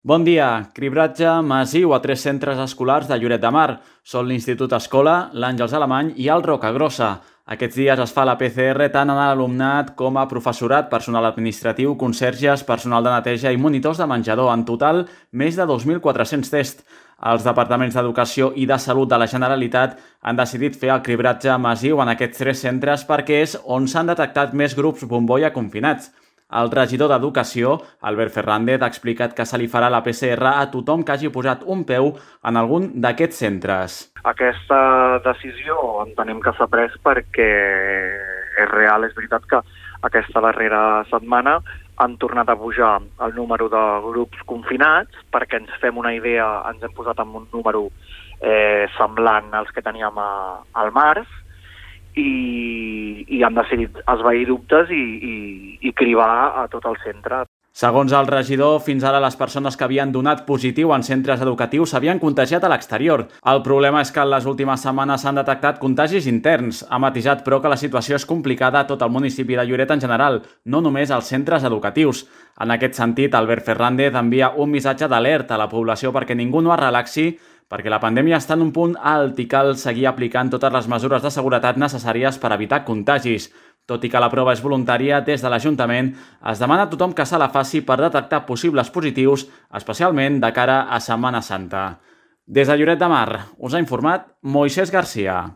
Bon dia. Cribratge massiu a 3 centres escolars de Lloret de Mar. Són l'Institut Escola, l'Àngels Alemany i el Rocagrossa. Aquests dies es fa la PCR tant en alumnat com a professorat, personal administratiu, conserges, personal de neteja i monitors de menjador. En total, més de 2.400 tests. Els departaments d'Educació i de Salut de la Generalitat han decidit fer el cribratge massiu en aquests 3 centres perquè és on s'han detectat més grups bombolla confinats. El regidor d'Educació, Albert Fernández, ha explicat que se li farà la PCR a tothom que hagi posat un peu en algun d'aquests centres. Aquesta decisió entenem que s'ha pres perquè és real, és veritat que aquesta darrera setmana han tornat a pujar el número de grups confinats, perquè ens fem una idea, ens hem posat en un número semblant als que teníem al març, i han decidit esvair dubtes i cribar a tot el centre. Segons el regidor, fins ara les persones que havien donat positiu en centres educatius s'havien contagiat a l'exterior. El problema és que en les últimes setmanes s'han detectat contagis interns. Ha matisat, però, que la situació és complicada a tot el municipi de Lloret en general, no només als centres educatius. En aquest sentit, Albert Fernández envia un missatge d'alerta a la població perquè ningú no es relaxi, perquè la pandèmia està en un punt alt i cal seguir aplicant totes les mesures de seguretat necessàries per evitar contagis. Tot i que la prova és voluntària, des de l'Ajuntament es demana a tothom que se la faci per detectar possibles positius, especialment de cara a Setmana Santa. Des de Lloret de Mar, us ha informat Moisés Garcia.